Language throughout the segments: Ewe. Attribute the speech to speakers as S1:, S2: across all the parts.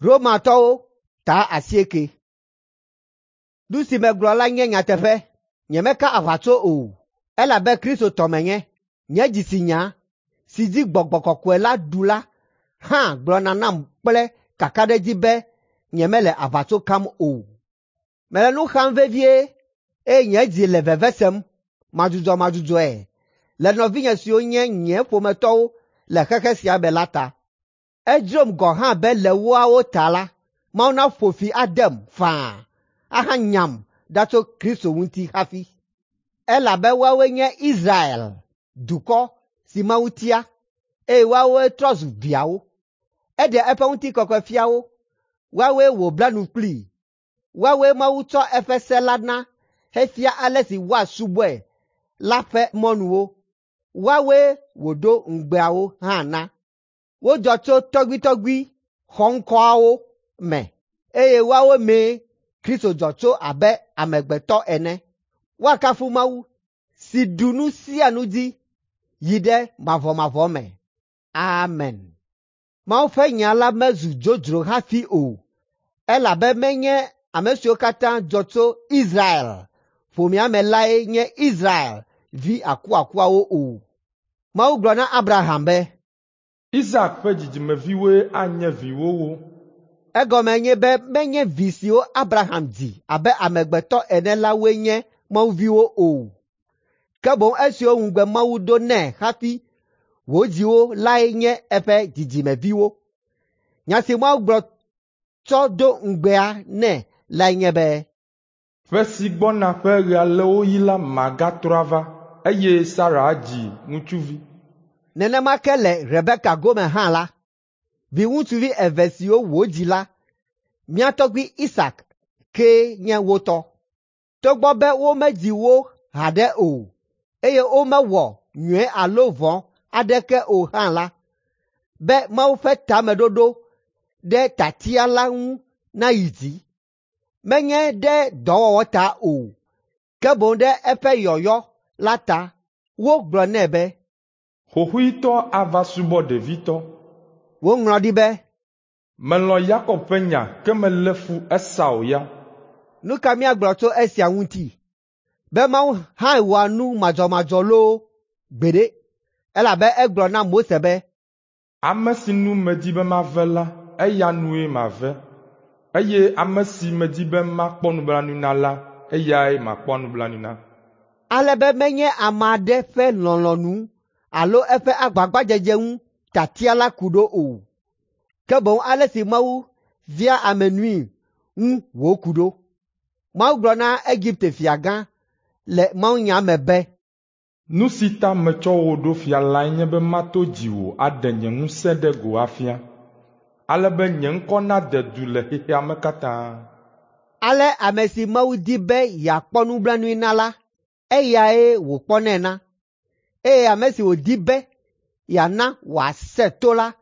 S1: Romatɔwo ta 8. Nu si megblɔ la nye nyateƒe, nyemeka aʋatso o, elabe Kristo tɔ menye. Nye dzitsinya si dzi Gbɔgbɔ Kɔkɔe la ɖu la hã gblɔna nam kple kakaɖedzi be nyemele aʋatso kam o. Mele nu xam vevie eye nye dzi le veve sem madzudzɔmadzudzɔe le nɔvinye siwo nye nye ƒometɔwo le xexe sia me la ta. Edzrom gɔ̃ hã be le woawo ta la, Mawu naƒo fi adem faa ahanyam ɖa tso Kristo ŋuti hafi. Elabe woawoe nye Israel dukɔ si Mawu tia, eye woawoe trɔ zu viawo. Eɖe eƒe ŋutikɔkɔe fia wo, woawoe wòbla nu kplii. Woawoe Mawu tsɔ eƒe se la na hefia ale si woasubɔe la ƒe mɔnuwo. Woawoe wòdo ŋugbeawo hã na. Wodzɔ tso tɔgbuitɔgbui xɔŋkɔawo me, eye woawo mee Kristo dzɔ tso abe amegbetɔ ene. Woakafu Mawu si ɖu nu sia nu dzi yi ɖe mavɔmavɔ me. Amen. Mawu ƒe nya la mezu dzodzro hafi o, elabe menye ame siwo katã dzɔ tso Israel ƒomea me lae nye Israel vi akuakuawo o. Mawu gblɔ na Abraham be,
S2: Isak ƒe dzidzimeviwoe anye viwòwo.
S1: Egɔme nye be menye vi siwo Abraham dzi abe amegbetɔ ene la woe nye Mawu viwo o, ke boŋ esiwo ŋugbe Mawu do nɛ hafi wòdzi wo lae nye eƒe dzidzimeviwo. Nya si Mawu gblɔ tsɔ do ŋugbea nɛ lae nye be,
S2: Ƒe si gbɔna ƒe ɣe aleawoɣi la magatrɔ ava, eye Sara adzi ŋutsuvi.
S1: Nenema ke le Rebeka gome hã la, viŋutsuvi eve siwo wòdzi la, mía tɔgbui Isak kee nye wo tɔ. Togbɔ be womedzi wo haɖe o, eye womewɔ nyui alo vɔ̃ aɖeke o hã la, be Mawu ƒe tameɖoɖo ɖe tiatia la ŋu nayi dzi, menye ɖe dɔwɔwɔ ta o, ke boŋ ɖe eƒe yɔyɔ la ta, wogblɔ nɛ be,
S2: Xoxoetɔ ava subɔ ɖevitɔ.
S1: Woŋlɔ ɖi be,
S2: Melɔ̃ Yakob ƒe nya ke melé fu Esau ya.
S1: Nu ka míagblɔ tso esia ŋuti? Be Mawu hã wɔa nu madzɔmadzɔ loo? Gbeɖe! Elabe egblɔ na Mose be,
S2: Ame si nu medi be mave la, eya nue mave, eye ame si medi be makpɔ nublanui na la, eyae makpɔ nublanui na.
S1: Ale be menye ame aɖe ƒe lɔlɔ̃nu alo eƒe agbagbadzedze ŋu tiatia la ku ɖo o, ke boŋ ale si Mawu vea ame nui ŋu wòku ɖo. Mawu gblɔ na Egipte fiagã le mawunya me be,
S2: Nu si ta metsɔ wò ɖo fia lae nye be mato dziwò aɖe nye ŋusẽ ɖe go afia, ale be nye ŋkɔ nade du le xexea me katã.
S1: Ale ame si Mawu di be yeakpɔ nublanui na la, eyae wòkpɔnɛ na, eye ame si wòdi be yeana wòasẽ to la,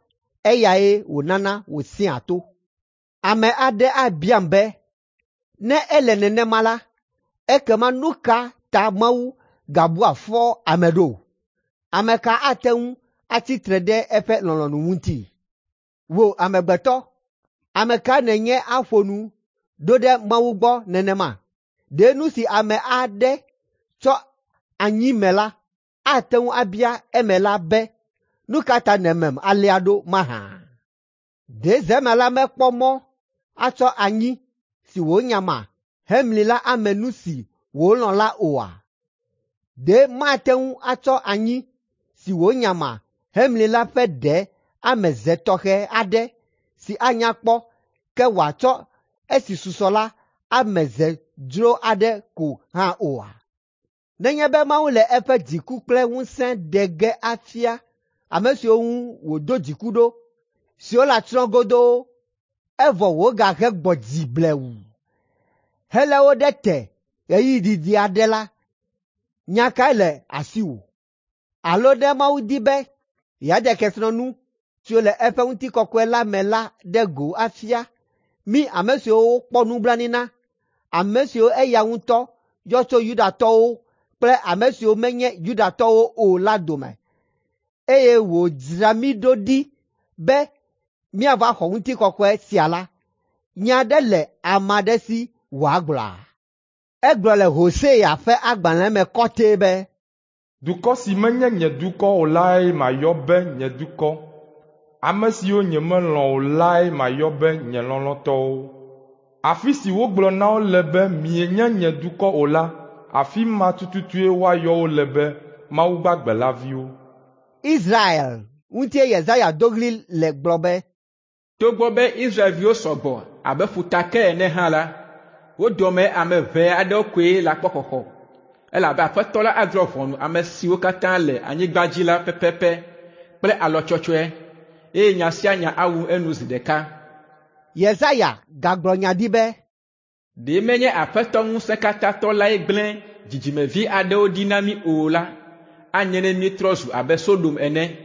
S1: eyae wònana wòsẽa to. Ame aɖe abiam be, ne ele nenema la, ekema nu ka ta Mawu gabua fɔ ame ɖo? Ame ka ate ŋu atsi tre ɖe eƒe lɔlɔ̃nu ŋuti? Wò amegbetɔ, ame ka nènye aƒo nu ɖo ɖe Mawu gbɔ nenema? Ɖe nu si ame aɖe tsɔ anyi me la ate ŋu abia emela be, nu ka ta nèmem alea ɖo mahã? Ɖe zemela mekpɔ mɔ atsɔ anyi si wònyama hemli la ame nu si wòlɔ̃ la oa? Ɖe mate ŋu atsɔ anyi si wònyama hemli la ƒe ɖe ame ze tɔxɛ aɖe si anya kpɔ ke wòatsɔ esi susɔ la ame ze dzro aɖe ko hã oa? Nenye be Mawu le eƒe dziku kple ŋusẽ ɖe ge afia ame siwo ŋu wòdo dziku ɖo, siwo le atsrɔ̃ godoo, evɔ wògahe gbɔ dzi blewu helé wo ɖe te ɣeyiɣi didi aɖe la, nya kae le asiwò? Alo ne Mawu di be yeaɖe kesinɔnu siwo le eƒe ŋutikɔkɔe la me la ɖe go afia mí ame siwo wokpɔ nublanui na, ame siwo eya ŋutɔ yɔ tso Yudatɔwo kple ame siwo menye Yudatɔwo o la dome, eye wòdzra mí ɖo ɖi be míava xɔ ŋutikɔkɔe sia la, nya aɖe le ame aɖe si wòagblɔa? Egblɔ le Hosea ƒe agbalẽ me kɔtɛe be,
S2: Dukɔ si menye nye dukɔ o lae mayɔ be nye dukɔ. Ame siwo nyemelɔ̃ o lae mayɔ be nye lɔlɔ̃tɔwo. Afi si wogblɔ na wo le be mienye nye dukɔ o la, afi ma tututue woayɔ wo le be Mawu gbagbe la viwo.
S1: Israel ŋutie Yesaya do ɣli le gblɔ be,
S3: Togbɔ be Israelviwo sɔ gbɔ abe ƒutake ene hã la, wo dome ame ʋɛ aɖewo koe le akpɔ xɔxɔ, elabe Aƒetɔ la adrɔ̃ ʋɔnu ame siwo katã le anyigba dzi la pɛpɛpɛ kple alɔ tsɔtsɔe, eye nya sia nya awu enu zi ɖeka.
S1: Yesaya gagblɔ nya ɖi be,
S3: Ɖe menye Aƒetɔ Ŋusẽkatãtɔ lae gblẽ dzidzimevi aɖewo ɖi na mí o la, anye ne míetrɔ zu abe Sodom ene,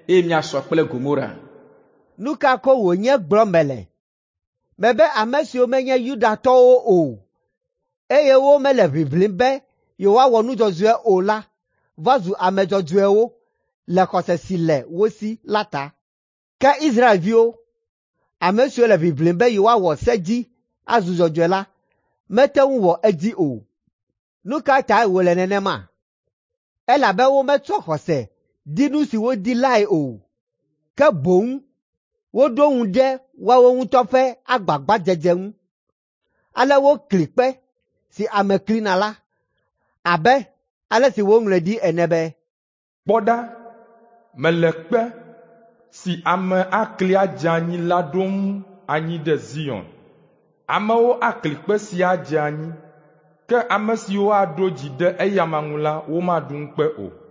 S3: eye míasɔ kple Gomora.
S1: Nu ka ko wònye gblɔm mele? Mebe ame siwo menye Yudatɔwo o, eye womele ʋiʋlim be yewoawɔ nu dzɔdzɔe o la va zu ame dzɔdzɔewo le xɔse si le wo si la ta. Ke Israelviwo, ame siwo le ʋiʋlim be yewoawɔ se dzi azu dzɔdzɔe la, mete ŋu wɔ edzi o. Nu ka tae wòle nenema? Elabe wometsɔ xɔse di nu si wodi lae o, ke boŋ woɖo ŋu ɖe woawo ŋutɔ ƒe agbagbadzedze ŋu. Ale wokli kpe si ame klina la, abe ale si woŋlɔe ɖi ene be,
S2: Kpɔ ɖa, mele kpe si ame akli adze anyi la ɖom anyi ɖe Zion. Amewo akli kpe sia adze anyi, ke ame siwo aɖo dzi ɖe eyama ŋu la, womaɖu ŋukpe o.